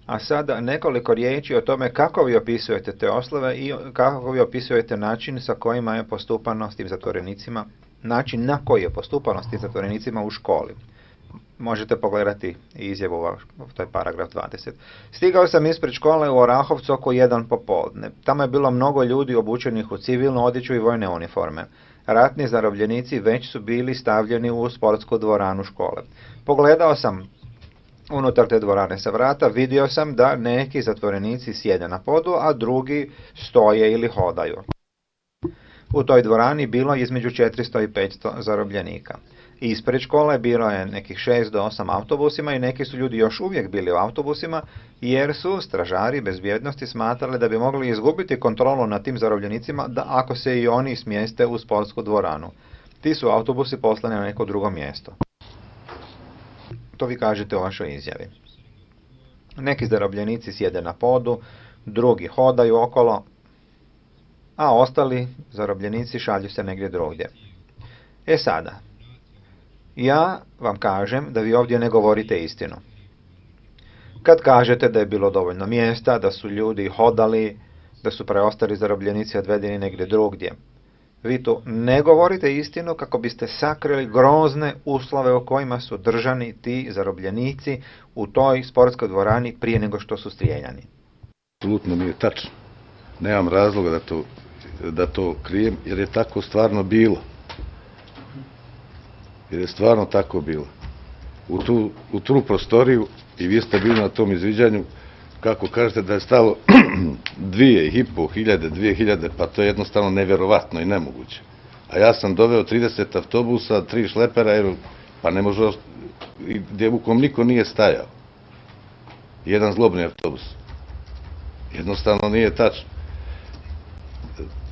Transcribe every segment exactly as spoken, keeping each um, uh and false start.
A sada nekoliko riječi o tome kako vi opisujete te oslove i kako vi opisujete način sa kojima je postupano s tim zatvorenicima, način na koji je postupano s tim zatvorenicima u školi. Možete pogledati izjavu, to je paragraf dvadeset. Stigao sam ispred škole u Orahovcu oko jedan popodne. Tamo je bilo mnogo ljudi obučenih u civilnu odjeću i vojne uniforme. Ratni zarobljenici već su bili stavljeni u sportsku dvoranu škole. Pogledao sam unutar te dvorane sa vrata, vidio sam da neki zatvorenici sjede na podu, a drugi stoje ili hodaju. U toj dvorani bilo je između četiristo i petsto zarobljenika. Ispred škole bilo je nekih šest do osam autobusima i neki su ljudi još uvijek bili u autobusima, jer su stražari bezbjednosti smatrali da bi mogli izgubiti kontrolu nad tim zarobljenicima da ako se i oni smjeste u sportsku dvoranu. Ti su autobusi poslani na neko drugo mjesto. To vi kažete u vašoj izjavi. Neki zarobljenici sjede na podu, drugi hodaju okolo, a ostali zarobljenici šalju se negdje drugdje. E sada, ja vam kažem da vi ovdje ne govorite istinu. Kad kažete da je bilo dovoljno mjesta, da su ljudi hodali, da su preostali zarobljenici odvedeni negdje drugdje, vi tu ne govorite istinu kako biste sakrili grozne uslove u kojima su držani ti zarobljenici u toj sportskoj dvorani prije nego što su strijeljani. Apsolutno nije tačno. Nemam razloga da to, da to krijem, jer je tako stvarno bilo. Jer je stvarno tako bilo. U tu, u tu prostoriju, i vi ste bili na tom izviđanju, kako kažete da je stalo dvije i po hiljade, dvije hiljade, pa to je jednostavno nevjerovatno i nemoguće. A ja sam doveo trideset autobusa, tri šlepera, jer, pa ne može, gdje u kom niko nije stajao. Jedan zlobni autobus. Jednostavno nije tačno.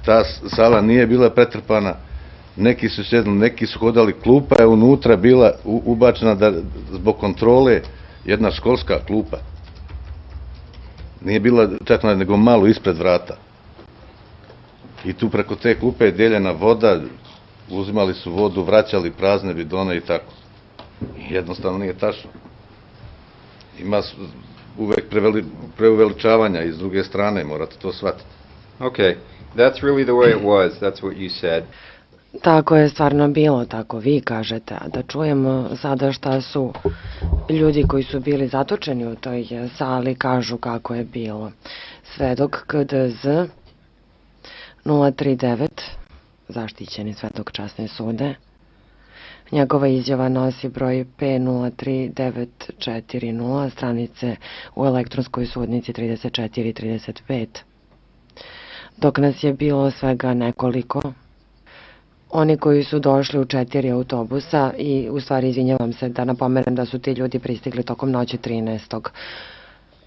Ta sala nije bila pretrpana, neki su sjedli, neki su hodali, klupa je unutra bila ubačena da, zbog kontrole, jedna školska klupa. Nije bila čak nego malo ispred vrata. I tu preko te klupe je dijeljena voda, uzimali su vodu, vraćali prazne bidone i tako. Jednostavno nije tačno. Ima uvek preveli, preuveličavanja i s druge strane, morate to shvatiti. Okay, that's really the way it was, that's what you said. Tako je stvarno bilo, tako vi kažete. A da čujemo sada šta su ljudi koji su bili zatočeni u toj sali kažu kako je bilo. Svedok K D Z nula tri devet, zaštićeni svedok časne sude. Njegova izjava nosi broj P nula tri devet četiri nula, stranice u elektronskoj sudnici trideset četiri trideset pet. Dok nas je bilo svega nekoliko, oni koji su došli u četiri autobusa i u stvari izvinjavam se da napomenem da su ti ljudi pristigli tokom noći trinaestog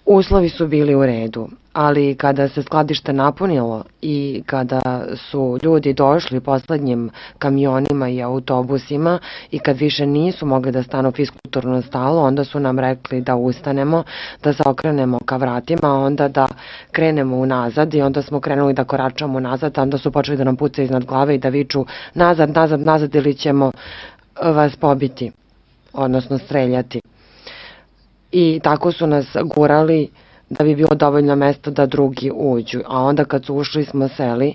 Uslovi su bili u redu, ali kada se skladište napunilo i kada su ljudi došli poslednjim kamionima i autobusima i kad više nisu mogli da stanu fiskulturno stalo, onda su nam rekli da ustanemo, da se okrenemo ka vratima, onda da krenemo unazad i onda smo krenuli da koračamo nazad, a onda su počeli da nam pucaju iznad glave i da viču nazad, nazad, nazad ili ćemo vas pobiti, odnosno streljati. I tako su nas gurali da bi bilo dovoljno mesta da drugi uđu. A onda kad su ušli smo seli,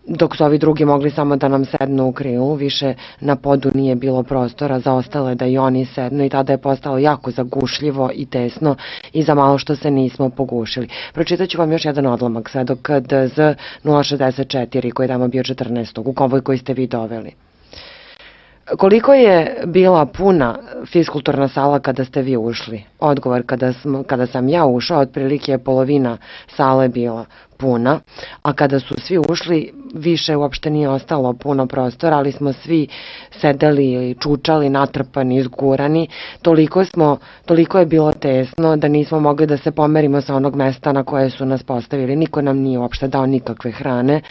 dok su ovi drugi mogli samo da nam sednu u krilu, više na podu nije bilo prostora za ostale da i oni sednu i tada je postalo jako zagušljivo i tesno i za malo što se nismo pogušili. Pročitat ću vam još jedan odlomak, svedok K D Z nula šezdeset četiri koji je tamo bio četrnaestog u konvoj koji ste vi doveli. Koliko je bila puna fiskulturna sala kada ste vi ušli? Odgovor, kada, smo, kada sam ja ušao, otprilike je polovina sale bila puna, a kada su svi ušli, više uopšte nije ostalo puno prostora, ali smo svi sedeli ili čučali, natrpani, izgurani. Toliko, smo, toliko je bilo tesno da nismo mogli da se pomerimo sa onog mesta na koje su nas postavili. Niko nam nije uopšte dao nikakve hrane.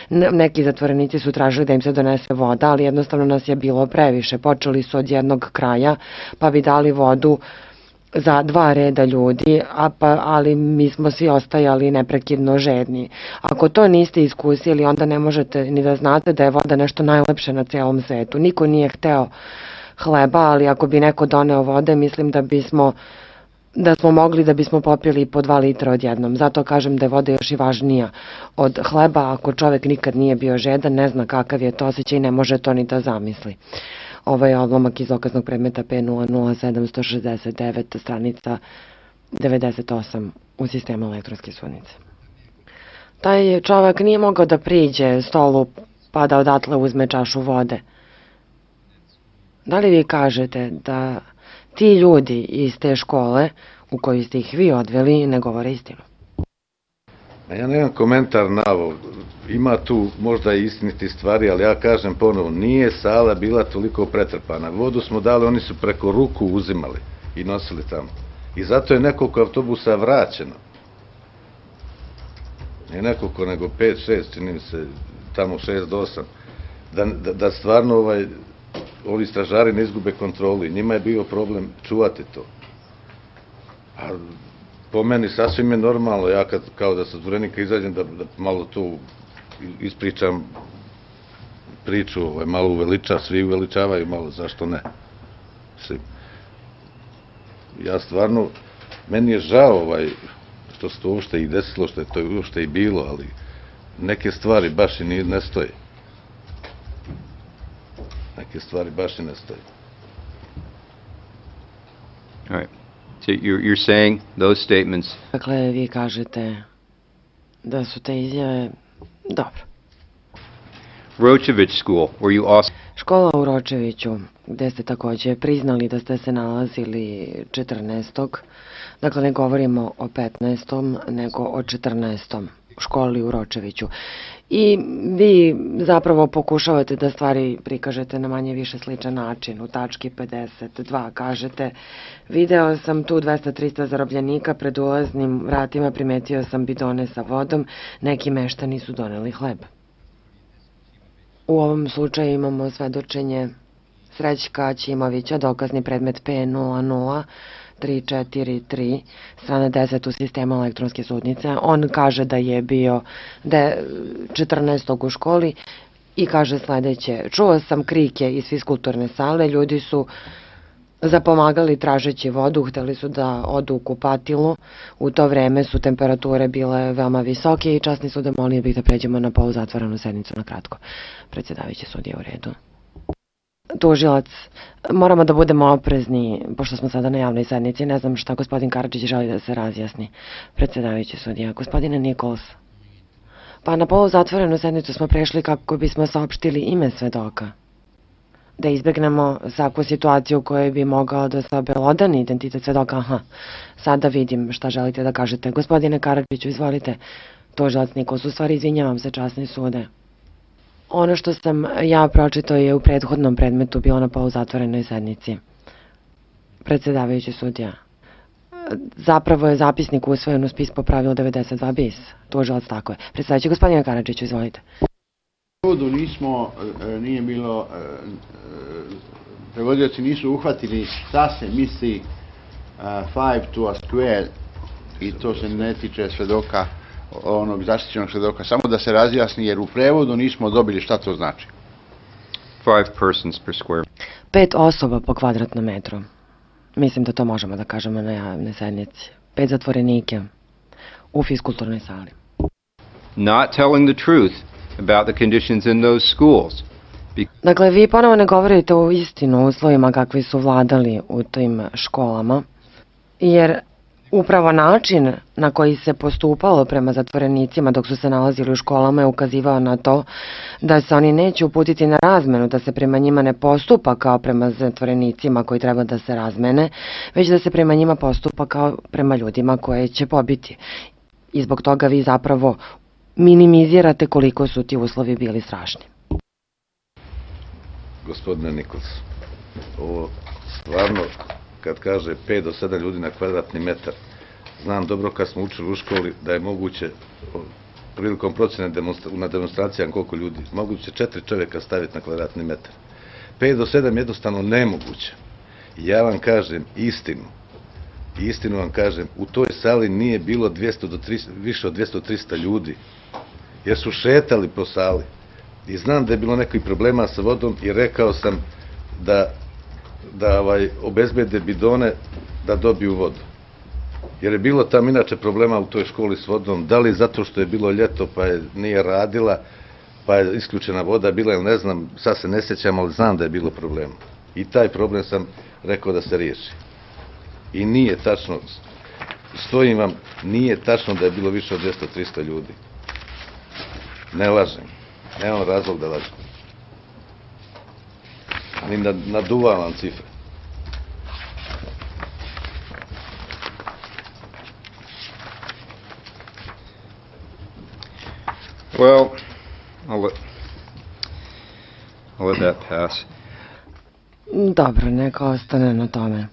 Neki zatvorenici su tražili da im se donese voda, ali jednostavno nas je bilo previše. Počeli su od jednog kraja, pa bi dali vodu za dva reda ljudi, a pa, ali mi smo svi ostajali neprekidno žedni. Ako to niste iskusili, onda ne možete ni da znate da je voda nešto najlepše na celom svetu. Niko nije hteo hleba, ali ako bi neko doneo vode, mislim da bismo da smo mogli da bismo popili po dva litra odjednom. Zato kažem da je voda još i važnija od hleba. Ako čovek nikad nije bio žedan, ne zna kakav je to osjećaj i ne može to ni da zamisli. Ovo je odlomak iz dokaznog predmeta P nula nula sedam šest devet, stranica devedeset osam u sistemu elektronske sudnice. Taj čovek nije mogao da priđe stolu pa da odatle uzme čašu vode. Da li vi kažete da ti ljudi iz te škole u koju ste ih vi odveli ne govore istinu? Ja nemam komentar na ovo. Ima tu možda i istiniti stvari, ali ja kažem ponovo, nije sala bila toliko pretrpana. Vodu smo dali, oni su preko ruku uzimali i nosili tamo. I zato je nekoliko autobusa vraćeno. Ne nekoliko, nego pet, šest, čini mi se, tamo šest do osam. Da, da, da stvarno ovaj, ovi stražari ne izgube kontrolu i njima je bio problem čuvati to. A po meni sasvim je normalno, ja kad, kao da sa Zvorenika izađem, da, da malo tu ispričam priču, ovaj, malo uveliča, svi uveličavaju malo, zašto ne? Svi. Ja stvarno, meni je žao ovaj, što se to uopšte i desilo, što je to uopšte i bilo, ali neke stvari baš i ne stoje. Neke stvari baš i ne stoje. All right. So you're, you're saying those statements. Dakle, vi kažete da su te izjave dobro. Ročević School, were you also... Škola u Ročeviću, gde ste takođe priznali da ste se nalazili četrnaestog Dakle, ne govorimo o petnaestom nego o četrnaestom školi u Ročeviću. I vi zapravo pokušavate da stvari prikažete na manje više sličan način. U tački pedeset dva kažete: video sam tu dvesta trista zarobljenika, pred ulaznim vratima primetio sam bidone sa vodom, neki meštani su doneli hleb. U ovom slučaju imamo svedočenje Srećka Ćimovića, dokazni predmet P nula nula tri četiri tri, strana deset u sistemu elektronske sudnice. On kaže da je bio da je četrnaestog u školi i kaže sledeće: čuo sam krike iz fiskulturne sale, ljudi su zapomagali tražeći vodu, hteli su da odu u kupatilu. U to vreme su temperature bile veoma visoke i časni su da molio bih da pređemo na poluzatvorenu sednicu na kratko. Predsjedavajući sudija, u redu. Tužilac, moramo da budemo oprezni, pošto smo sada na javnoj sednici. Ne znam šta gospodin Karadžić želi da se razjasni. Predsjedavajući sudija, gospodine Nikols. Pa na poluzatvorenu sednicu smo prešli kako bismo saopštili ime svedoka. Da izbegnemo svaku situaciju u kojoj bi mogao da se obelodani identitet svedoka. Aha, sada vidim šta želite da kažete. Gospodine Karadžiću, izvolite. Tužilac Nikols, u stvari izvinjavam se, časni sude. Ono što sam ja pročitao je u prethodnom predmetu bilo na poluzatvorenoj sednici. Predsjedavajući sudija, zapravo je zapisnik usvojen u spis po pravilu devedeset dva bis. Tužilac, tako je. Predsjedavajući, gospodine Karadžiću, izvolite. U prevodu nismo, nije bilo, prevodioci nisu uhvatili šta se misli five to a square i to se ne tiče svedoka, onog zaštićenog svedoka, samo da se razjasni, jer u prevodu nismo dobili šta to znači. Five persons per square. Pet osoba po kvadratnom metru. Mislim da to možemo da kažemo na javnoj sednici. Pet zatvorenike u fiskulturnoj sali. Not telling the truth about the conditions in those schools. Dakle, vi ponovo ne govorite u istinu o uslovima kakvi su vladali u tim školama, jer upravo način na koji se postupalo prema zatvorenicima dok su se nalazili u školama je ukazivao na to da se oni neće uputiti na razmenu, da se prema njima ne postupa kao prema zatvorenicima koji treba da se razmene, već da se prema njima postupa kao prema ljudima koje će pobiti. I zbog toga vi zapravo minimizirate koliko su ti uslovi bili strašni. Gospodine Nikols, ovo stvarno, kad kaže pet do sedam ljudi na kvadratni metar, znam dobro kad smo učili u školi da je moguće prilikom procjene na demonstracijama koliko ljudi, moguće četiri čovjeka staviti na kvadratni metar. pet do sedam je jednostavno nemoguće. I ja vam kažem istinu, istinu vam kažem, u toj sali nije bilo dvjesto do trista, više od dvjesto do trista ljudi, jer su šetali po sali. I znam da je bilo nekih problema sa vodom i rekao sam da da ovaj, obezbede bidone da dobiju vodu. Jer je bilo tam inače problema u toj školi s vodom, da li zato što je bilo ljeto pa je nije radila, pa je isključena voda bila ili ne znam, sad se ne sjećam, ali znam da je bilo problema. I taj problem sam rekao da se riješi. I nije tačno, stojim vam, nije tačno da je bilo više od dvjesto do trista ljudi. Ne lažem, nemam razlog da lažem. Ni naduvavam cifre. Well, I'll let, I'll let that pass. Dobro, neka ostane na tome.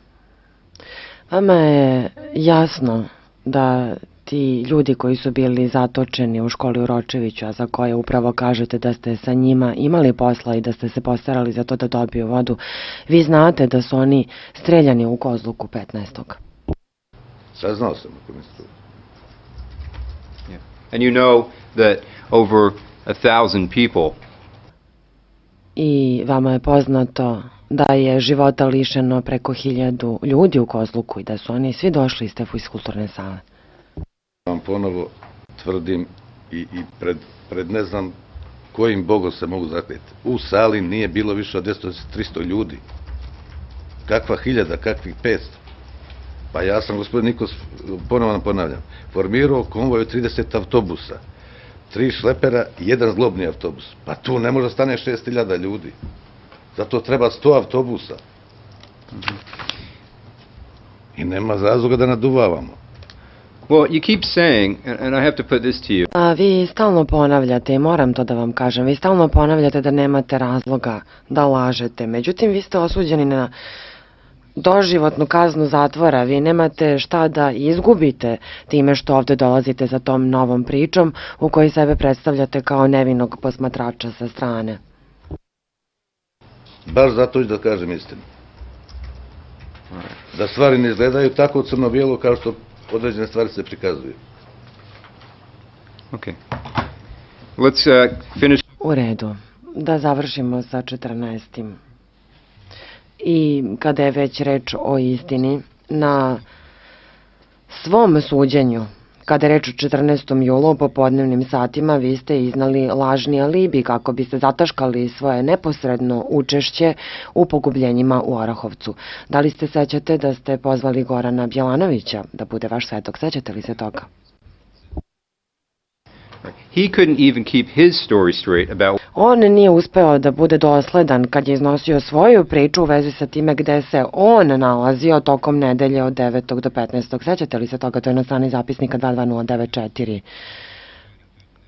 Vama je jasno da ti ljudi koji su bili zatočeni u školi u Ročeviću, a za koje upravo kažete da ste sa njima imali posla i da ste se postarali za to da dobiju vodu, vi znate da su oni streljani u Kozluku petnaestog. Saznao sam ako mi se. Yeah. And you know that over a thousand people I vama je poznato da je života lišeno preko hiljadu ljudi u Kozluku i da su oni svi došli iz te fiskulturne sale. Vam ponovo tvrdim i, i pred, pred ne znam kojim bogom se mogu zakljeti. U sali nije bilo više od dvjesto do trista ljudi. Kakva hiljada, kakvih petsto. Pa ja sam, gospodin Nikos, ponovo vam ponavljam, formirao konvoj od trideset autobusa, tri šlepera i jedan zglobni autobus. Pa tu ne može stane šest hiljada ljudi. Zato treba sto autobusa. I nema razloga da naduvavamo. Well, you keep saying, and, and I have to put this to you. A vi stalno ponavljate, i moram to da vam kažem, vi stalno ponavljate da nemate razloga da lažete. Međutim, vi ste osuđeni na doživotnu kaznu zatvora, vi nemate šta da izgubite time što ovde dolazite za tom novom pričom u kojoj sebe predstavljate kao nevinog posmatrača sa strane. Baš zato ću da kažem istinu. Da stvari ne izgledaju tako crno-bijelo kao što određene stvari se prikazuju. Okay. Let's uh, finish. U redu. Da završimo sa četrnaestim. I kada je već reč o istini, na svom suđenju, kada je reč o četrnaestom julu u popodnevnim satima, vi ste iznali lažni alibi kako biste zataškali svoje neposredno učešće u pogubljenjima u Orahovcu. Da li se sećate da ste pozvali Gorana Bjelanovića da bude vaš svedok? Sećate li se toga? He couldn't even keep his story straight about. On nije uspeo da bude dosledan kad je iznosio svoju priču u vezi sa time gde se on nalazio tokom nedelje od devetog do petnaestog. Sećate li se toga? To je na strani zapisnika dva dva nula devet četiri.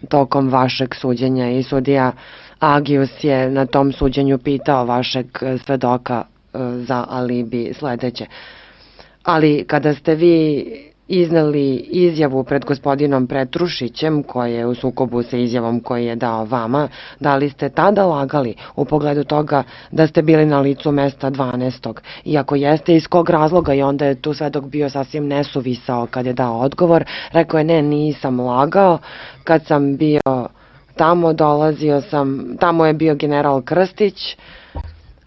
Tokom vašeg suđenja i sudija Agius je na tom suđenju pitao vašeg svedoka za alibi sledeće. Ali kada ste vi izneli izjavu pred gospodinom Petrušićem, koji je u sukobu sa izjavom koji je dao vama, da li ste tada lagali u pogledu toga da ste bili na licu mesta dvanaestog? Iako jeste, iz kog razloga? I onda je tu svedok bio sasvim nesuvisao kad je dao odgovor. Rekao je, ne, nisam lagao. Kad sam bio tamo, dolazio sam, tamo je bio general Krstić,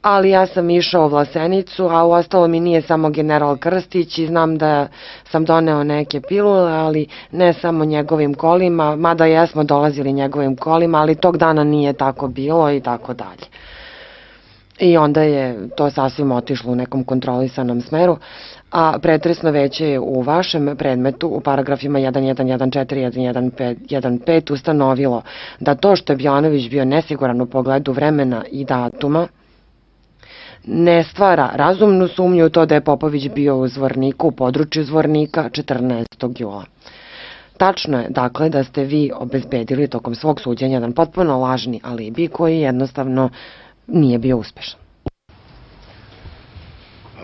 ali ja sam išao u Vlasenicu, a u ostalo mi nije samo general Krstić i znam da sam doneo neke pilule, ali ne samo njegovim kolima, mada jesmo dolazili njegovim kolima, ali tog dana nije tako bilo i tako dalje. I onda je to sasvim otišlo u nekom kontrolisanom smeru, a pretresno veće je u vašem predmetu u paragrafima jedan jedan jedan četiri i jedan jedan pet ustanovilo da to što je Bjelanović bio nesiguran u pogledu vremena i datuma ne stvara razumnu sumnju u to da je Popović bio u Zvorniku, u području Zvornika četrnaestog jula. Tačno je, dakle, da ste vi obezbedili tokom svog suđenja jedan potpuno lažni alibi koji jednostavno nije bio uspešan.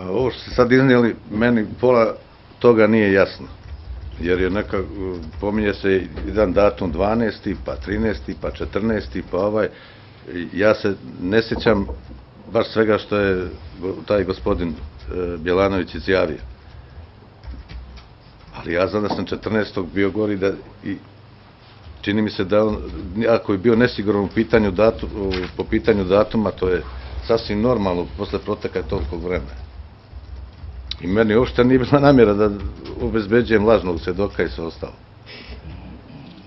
A ovo što ste sad iznijeli, meni pola toga nije jasno. Jer je neka, pominje se jedan datum dvanaesti, pa trinaesti, pa četrnaesti, pa ovaj. Ja se ne sjećam baš svega što je taj gospodin Bjelanović izjavio. Ali ja znam da sam četrnaestog bio gori da i čini mi se da on, ako je bio nesiguran u pitanju datu, po pitanju datuma, to je sasvim normalno posle proteka tolikog vremena. I meni uopšte nije bila namjera da obezbeđujem lažnog svedoka i sve ostalo.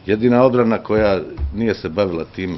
Jedina odbrana koja nije se bavila time.